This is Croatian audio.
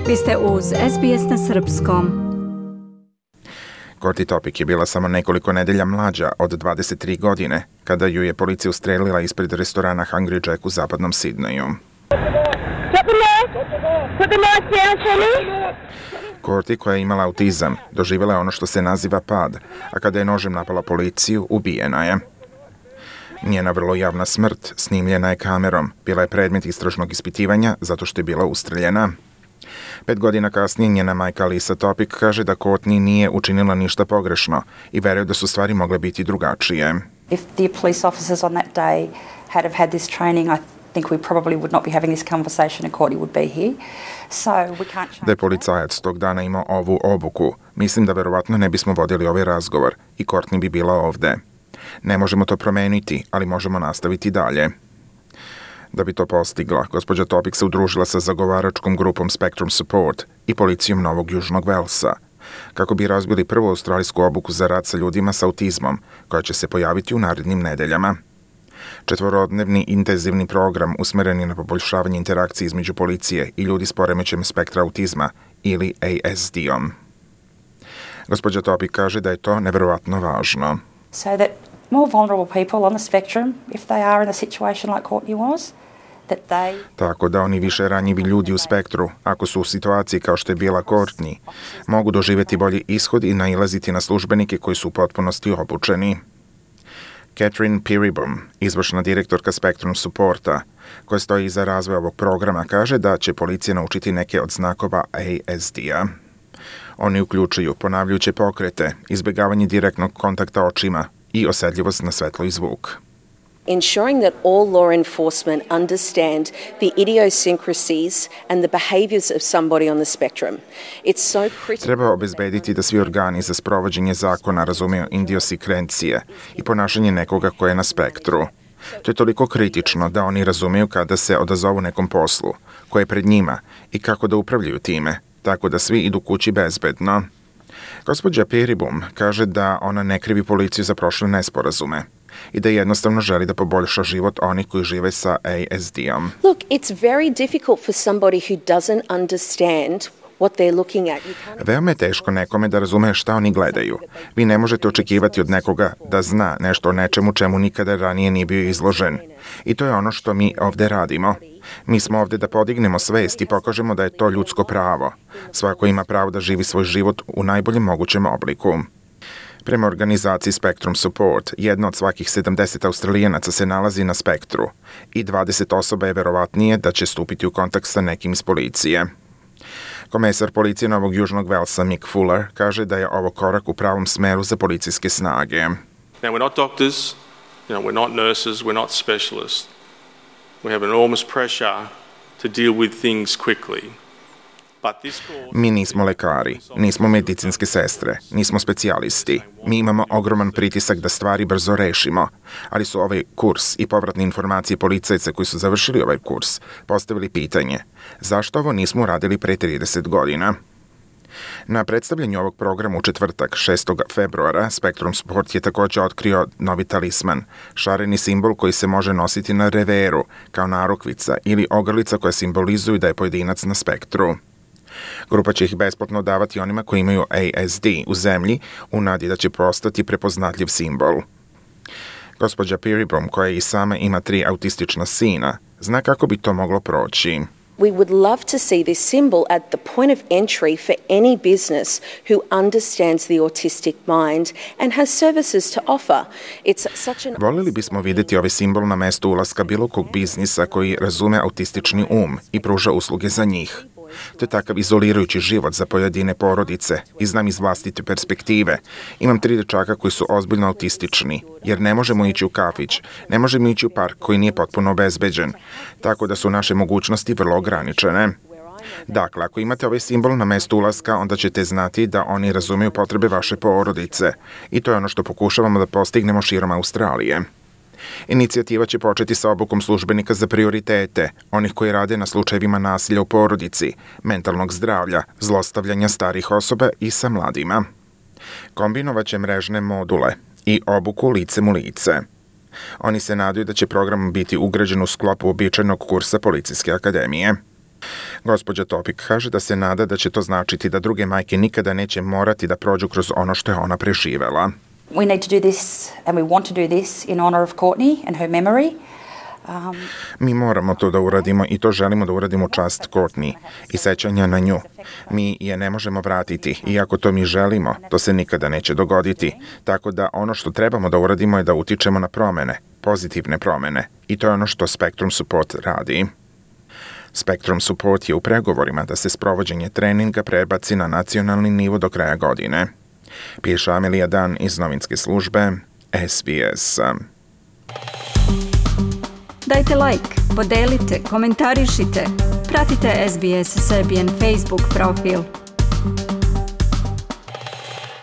Vi ste uz SBS na srpskom. Courtney Topic je bila samo nekoliko nedelja mlađa od 23 godine kada ju je policija ustrelila ispred restorana Hungry Jack u zapadnom Sidneju. Courtney, koja je imala autizam, doživjela je ono što se naziva pad, a kada je nožem napala policiju, ubijena je. Njena vrlo javna smrt snimljena je kamerom, bila je predmet istražnog ispitivanja zato što je bila ustreljena. 5 godina kasnije njena majka Lisa Topic kaže da Courtney nije učinila ništa pogrešno i veruje da su stvari mogle biti drugačije. If the police officers on that day had have had this training, I think we probably would not be having this conversation and Courtney would be here. So we can't change. Da je policajac tog dana imao ovu obuku, mislim da verovatno ne bismo vodili ovaj razgovor i Courtney bi bila ovde. Ne možemo to promeniti, ali možemo nastaviti dalje. Da bi to postigla, gospođa Topic se udružila sa zagovaračkom grupom Spectrum Support i policijom Novog Južnog Velsa, kako bi razbili prvu australijsku obuku za rad sa ljudima sa autizmom, koja će se pojaviti u narednim nedeljama. 4-dnevni intenzivni program usmeren je na poboljšavanje interakcije između policije i ljudi s poremećajem spektra autizma ili ASD-om. Gospođa Topic kaže da je to neverovatno važno. So that more vulnerable people on the spectrum, if they are in a situation like Courtney was, that they... Tako da oni više ranjivi ljudi u spektru, ako su u situaciji kao što je bila Courtney, mogu doživjeti bolji ishod i nailaziti na službenike koji su u potpunosti obučeni. Catherine Peerybum, izvršna direktorka Spectrum Supporta, koja stoji iza razvoja ovog programa, kaže da će policija naučiti neke od znakova ASD-a. Oni uključuju ponavljajuće pokrete, izbjegavanje direktnog kontakta očima i osjetljivost na svetlo i zvuk. Ensuring that all law enforcement understand the idiosyncrasies and the behaviours of somebody on the spectrum. It's so critical. Treba obezbediti da svi organi za sprovođenje zakona razumeju idiosikrencije i ponašanje nekoga ko je na spektru. To je toliko kritično da oni razumeju kada se odazovu nekom poslu, koje je pred njima i kako da upravljaju time, tako da svi idu kući bezbedno. Gospođa Peerybum kaže da ona ne krivi policiju za prošle nesporazume i da jednostavno želi da poboljša život onih koji žive sa ASD-om. Look, it's very difficult for somebody who doesn't understand what they're looking at. Veoma je teško nekome da razume šta oni gledaju. Vi ne možete očekivati od nekoga da zna nešto o nečemu čemu nikada ranije nije bio izložen. I to je ono što mi ovde radimo. Mi smo ovde da podignemo svest i pokažemo da je to ljudsko pravo. Svako ima pravo da živi svoj život u najboljem mogućem obliku. Prema organizaciji Spectrum Support, jedna od svakih 70 Australijanaca se nalazi na spektru i 20 osoba je verovatnije da će stupiti u kontakt sa nekim iz policije. Komesar policije Novog Južnog Velsa Mick Fuller kaže da je ovo korak u pravom smeru za policijske snage. Now we're not doctors, we're not nurses, we're not specialists. We have enormous pressure to deal with things quickly. Mi nismo lekari, nismo medicinske sestre, nismo specijalisti. Mi imamo ogroman pritisak da stvari brzo rešimo, ali su ovaj kurs i povratne informacije policajca koji su završili ovaj kurs postavili pitanje zašto ovo nismo uradili pre 30 godina. Na predstavljanju ovog programa u četvrtak, 6. februara, Spectrum Support je također otkrio novi talisman, šareni simbol koji se može nositi na reveru, kao narukvica ili ogrlica koja simbolizuju da je pojedinac na spektru. Grupa će ih besplatno davati onima koji imaju ASD u zemlji u nadi da će postati prepoznatljiv simbol. Gospođa Peerybum, koja i sama ima 3 autistična sina, zna kako bi to moglo proći. We would love to see this symbol at the point of entry for any business who understands the autistic mind and has services to offer. It's such an... Volili bismo vidjeti ovaj simbol na mestu ulaska bilo kog biznisa koji razume autistični i pruža usluge za njih. To je takav izolirajući život za pojedine porodice i znam iz vlastite perspektive. Imam 3 dečaka koji su ozbiljno autistični, jer ne možemo ići u kafić, ne možemo ići u park koji nije potpuno obezbeđen, tako da su naše mogućnosti vrlo ograničene. Dakle, ako imate ovaj simbol na mestu ulaska, onda ćete znati da oni razumeju potrebe vaše porodice i to je ono što pokušavamo da postignemo širom Australije. Inicijativa će početi sa obukom službenika za prioritete, onih koji rade na slučajevima nasilja u porodici, mentalnog zdravlja, zlostavljanja starih osoba i sa mladima. Kombinovaće mrežne module i obuku licem u lice. Oni se nadaju da će program biti ugrađen u sklopu običajnog kursa Policijske akademije. Gospođa Topik kaže da se nada da će to značiti da druge majke nikada neće morati da prođu kroz ono što je ona preživela. We need to do this and we want to do this in honour of Courtney and her memory. Mi moramo to da uradimo i to želimo da uradimo u čast Courtney i sećanja na nju. Mi je ne možemo vratiti, iako to mi želimo, to se nikada neće dogoditi. Tako da ono što trebamo da uradimo je da utičemo na promene, pozitivne promene. I to je ono što Spectrum Support radi. Spectrum Support je u pregovorima da se sprovođenje treninga prebaci na nacionalni nivo do kraja godine. Piše Amelija Dan iz novinske službe SBS. Dajte like, podelite, komentarišite. Pratite SBS Serbian Facebook profil.